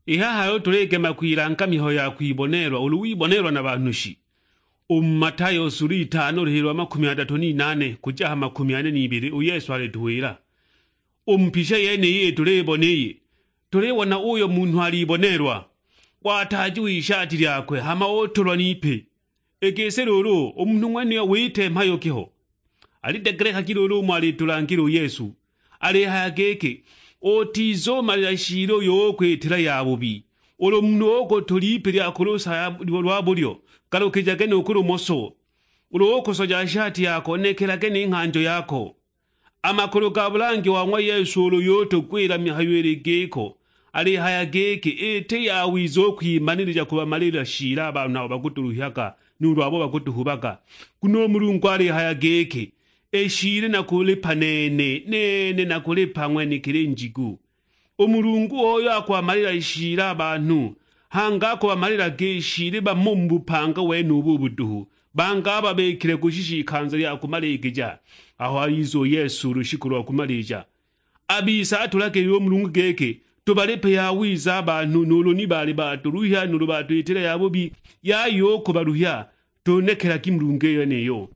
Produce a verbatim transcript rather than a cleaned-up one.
I haha aho tuligema kwilanga mihayo ya kwiboneelwa ulu wiboneelwa na banhu shi? U mu Matayo sulu itano luhilo lwa makumi adatu n'inane kuja ha makumi ane n'ibili, u Yesu alituwila, u mu picha yeniyi tulibona iyi, tulibona uyo munhu aliboneelwa, wataajiwa ishati lyakwe, hama utulwa n'ipe. I gisi luulu, u munhu ng'wenuyo wita mhayo ki ho? Alidegelekagi luulu umo alitulangila u Yesu, alihaya giki, "Utizumalila shiili uyo ukwitila yabubi. Ulu munhu ukutula ipi lya ku lusa ya-, lwa bulyo, galukijage nu ku lumoso. Ulu ukusoja shati yako, nekelage ni nghanjo yako." A makulu ga bulangi wa ng'wa Yesu ulu yutugwila mihayo ili giko, alihaya giki, iti yawiza u kwimanilija kubamalila shiili a banhu abo bakutuluhyaga, nuulu abo bakutuhubaga. Nguno u Mulungu alihaya giki, "I shiili nakulipa nene, nene nakulipa ng'wenekili njigu." U Mulungu oyo akubamalila shiili a banhu, hangi akubamalilaga i shiili bamo mu bupanga wenubu ubu duhu, bangi ababikile kushisha ikanza lya kumaligija, aho aliza u Yesu lushiku lwa kumalija. A bise atulagilile u Mulungu giki tubalipe yawiza a banhu, nuulu ni baali batuluhya nuulu batwitile yabubi, yaya u kubaluhya, tunekelagi Mulungu i yeniyo.